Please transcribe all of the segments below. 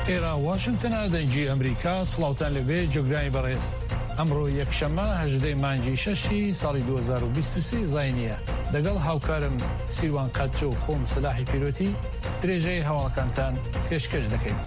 ئێرە واشنگتنە دەنگی ئەمریکا سڵاوتان لەبێ جۆگرانی بەڕێز ئەمڕۆ یەکشەممە هەژدەی مانگی شەشی ساڵی 2023 زینیە لەگەڵ هاوکارم سیروان قەتچە و خۆم سەلاحی پیرۆتی درێژەی هەواڵەکانتان پێشکەش دەکەین.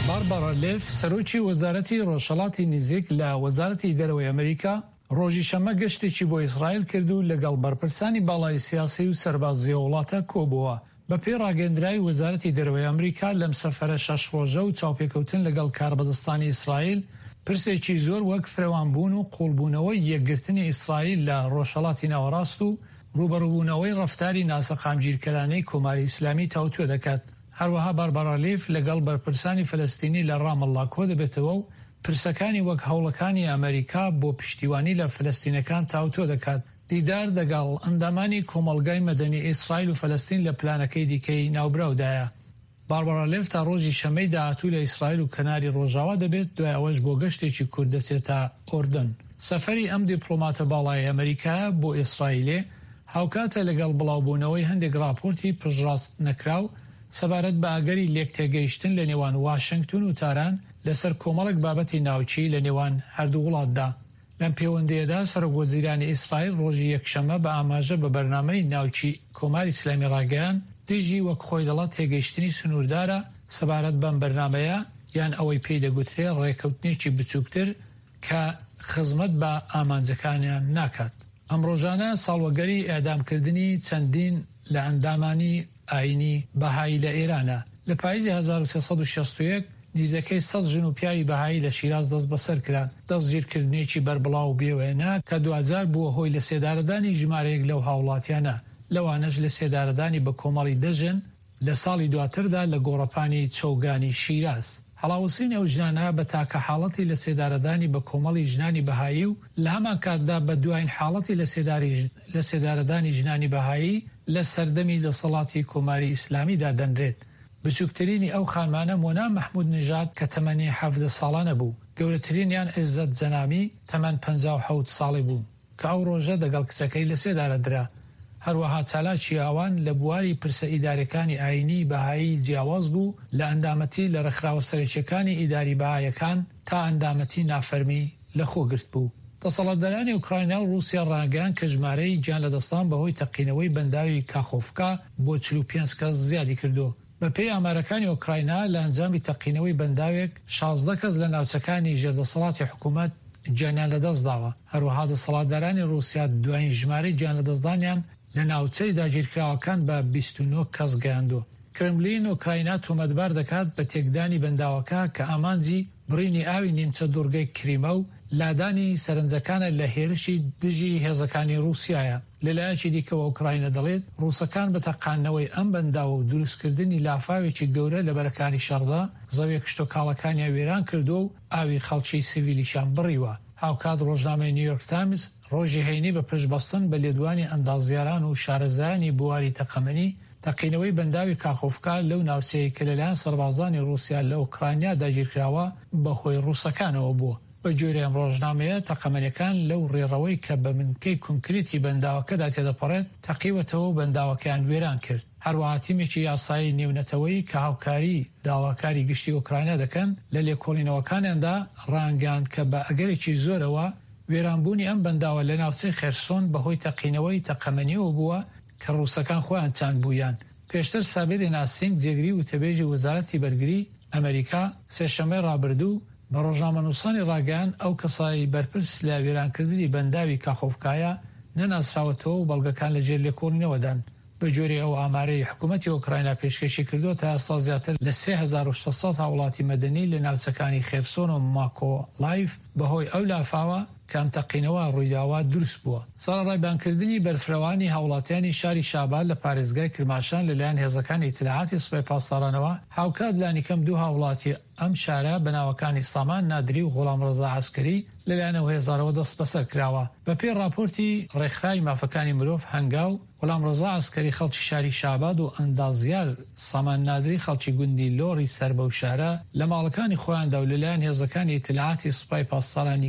باربارا لێف سەرۆکی وەزارەتی ڕۆژهەڵاتی نزیک لە وەزارەتی دەرەوەی ئەمریکا ڕۆژی شەممە گەشتێکی بۆ ئیسرائیل کرد و لەگەڵ بەرپرسانی باڵای سیاسی و سەربازی ئەو وڵاتە کۆبووەوە. بەپێی ڕاگەیەندراوی وەزارەتی دەرەوەی ئەمریکا لەم سەفەرە شەش ڕۆژە و چاوپێکەوتن لەگەڵ کاربەدەستانی ئیسرائیل پرسێکی زۆر وەک فرەوانبوون و قووڵبوونەوەی یەکگرتنی ئیسرائیل لە ڕۆژهەڵاتی ناوەڕاست و ڕووبەڕووبوونەوەی ڕەفتاری ناسەقامگیرکەرانەی کۆماری ئیسلامی تاوتوێ دەکات. هەروەها باربارا لیف لەگەڵ بەرپرسانی فەلەستینی لە ڕامەڵڵا کۆدەبێتەوە و پرسەکانی وەک هەوڵەکانی ئەمەریکا بۆ پشتیوانی لە فەلەستینەکان تاوتوێ دەکات. دیدار دەگەڵ ئەندامانی کۆمەڵگای مەدەنی ئیسرائیل و فەلەستین لە پلانەکەی دیکەی ناوبراودایە. باربارا لێف تا ڕۆژی شەممەی داهاتوو لە ئیسرائیل و کەناری ڕۆژاوا دەبێت، دوای ئەوەش بۆ گەشتێکی کورت دەچێتە ئوردن. سەفەری ئەم دیپڵۆماتە باڵایەی ئەمەریکایە بۆ ئیسرائیلێ هاوکاتە لەگەڵ بڵاوبوونەوەی هەندێک ڕاپۆرتی پشتڕاست نەکراو سەبارەت بە ئەگەری لێکتێگەیشتن لە نێوان واشنگتن و تاران لەسەر کۆمەڵێک بابەتی ناوچی لە نێوان هەردوو وڵاتدا. لەم پێوەندییەدا سەرۆک وەزیرانی ئیسرائیل ڕۆژی یەکشەممە بە ئاماژە بە بەرنامەی ناوکی کۆماری ئیسلامی ڕاگەیاند، دژی وەک خۆی دەڵێت تێگەیشتنی سنووردارە سەبارەت بەم بەرنامەیە یان ئەوەی پێی دەگوترێ ڕێکەوتنێکی بچووکتر کە خزمەت بە ئامانجەکانیان ناکات. ئەم ڕۆژانە ساڵوەگەری ئێعدامکردنی چەندین لە ئەندامانی ئایینی بەهایی لە ئێرانە. لە پاییزی 1361 نیزەکەی سەد ژن و پیاوی بەهایی لە شیراز دەستبەسەر کران، دەستگیرکردنێکی بەربڵاو و بێوێنە کە دواجار بووە هۆی لەسێدارەدانی ژمارەیەک لەو هاوڵاتیانە، لەوانەش لەسێدارەدانی بەکۆمەڵی دە ژن لە ساڵی دواتردا لە گۆڕەپانی چەوگانی شیراز. هەڵاوسینی ئەو ژنانە بە تاکە حاڵەتی لەسێدارەدانی بەکۆمەڵی ژنانی بەهایی و لە هەمانکاتدا بە دواین حاڵەتی لەسێدارەدانی ژنانی بەهایی لە سەردەمی دەسەڵاتی کۆماری ئیسلامیدا دەنرێت. بچووکترینی ئەو خانمانە مۆنا مەحموود نژاد کە تەمەنی 17 ساڵانە بوو، گەورەترینیان عیزەت جەنامی تەمەن 57 ساڵی بوو کە ئەو ڕۆژە دەگەڵ کچەکەی لەسێدارە درا. هەروەها چالاکی ئەوان لە بواری پرسە ئیداریەکانی ئایینی بەهایی جیاواز بوو لە ئەندامەتی لە ڕێکخراوە سەرەکیەکانی ئیداری بەهایەکان تا ئەندامەتی نافەرمی لەخۆ گرتبوو. دەسەڵاتدارانی ئۆکراینا و ڕووسیا ڕایانگەیاند کە ژمارەی گیانلەدەستدان بەهۆی تەقینەوەی بەنداوی کاخۆفکا بۆ 45 کەس زیادی کردووە. بەپێی ئامارەکانی ئۆکراینا، لە ئەنجامی تەقینەوەی بەنداوێک 16 کەس لە ناوچەکانی ژێر دەسەڵاتی حکومەت گیانیان لەدەستداوە. هەروەها دەسەڵاتدارانی ڕووسیا دوایین ژمارەی گیانلەدەستدانیان لە ناوچەی داگیرکراوەکان بە 29 کەس گەیاندووە. کرملین ئۆکراینا تۆمەتبار دەکات بە تێکدانی بەنداوەکە کە ئامانجی بڕینی ئاوی نیمچە دوڕگەی کریمە و لادانی سەرنجەکانە لە هێرشی دژی هێزەکانی ڕووسیایە. لەلایەکی دیکەوە ئۆکراینا دەڵێت، ڕووسەکان بە تەقاندنەوەی ئەم بەنداوە و دروستکردنی لافاوێکی گەورە لە بەرەکانی شەڕدا، زەویە کشتوکاڵەکانیان وێران کردووە و ئاوی خەڵکی سیڤیلیشیان بڕیوە. هاوکات ڕۆژنامەی نیویۆرک تایمز ڕۆژی هەینی بە پشتبەستن بە لێدوانی ئەندازیاران و شارەزایانی بواری تەقەمەنی، تەقینەوەی بەنداوی کاخۆفکا لەو ناوچەیەی کە لەلایەن سەربازانی ڕووسیا لە ئۆکرانیا داگیرکراوە بەهۆی ڕووسەکانەوە بووە. بەگوێرەی ئەم ڕۆژنامەیە، تەقەمەنیەکان لەو ڕێڕەوەی کە بە بنکەی کۆنکریتی بەنداوەکەدا تێدەپەڕێت تەقیوەتەوە و بەنداوەکەیان وێران کرد. هەروەها تیمێکی یاسایی نێونەتەوەیی کە هاوکاری داواکاری گشتی ئۆکراینا دەکەن لە لێکۆڵینەوەکانیاندا ڕایانگەیاند کە بە ئەگەرێکی زۆرەوە وێرانبوونی ئەم بەنداوە لە ناوچەی خێرسۆن بەهۆی تەقینەوەی تەقەمەنیەوە بووە کە ڕووسەکان خۆیان چاندبوویان. پێشتر سابرینا سینگ جێگری وتەبێژی وەزارەتی بەرگری ئەمەریکا سێشەممەی ڕابردوو بە ڕۆژنامەنووسانی ڕاگەیاند ئەو کەسەی بەرپرس لە وێرانکردنی بەنداوی کاخۆفکایە نەناسراوەتەوە و بەڵگەکان لە ژێر لێکۆڵینەوەدان. بەگوێرەی ئەو ئامارەی حکومەتی ئۆکراینا پێشکەشی کردووە تا ئێستا زیاتر لە 3600 هاوڵاتی مەدەنی لە ناوچەکانی خێرسۆن و ماکۆلایڤ بەهۆی ئەو لافاوە کە ئەم تەقینەوە ڕوویداوە دروست بووە. سەرەڕای بانگکردنی بەرفرەوانی هاوڵاتیانی شاری شاباد لە پارێزگای کرماشان لەلایەن هێزەکانی ئیتلاعاتی سوپای پاسدارانەوە، هاوکات لانیکەم دوو هاوڵاتی ئەم شارە بە ناوەکانی سامان نادری و غوڵامڕەزا عەسکەری لەلایەن ئەو هێزانەوە دەستبەسەر کراوە. بەپێی ڕاپۆرتی ڕێکخراوی مافەکانی مرۆڤ هەنگاو، غوڵامڕەزا عەسکەری خەڵکی شاری شاباد و ئەندازیار سامان نادری خەڵکی گوندی لۆڕی سەر بەو شارە لە ماڵەکانی خۆیاندا و لەلایەن هێزەکانی ئیتلاعاتی سوپای پاسدارانی.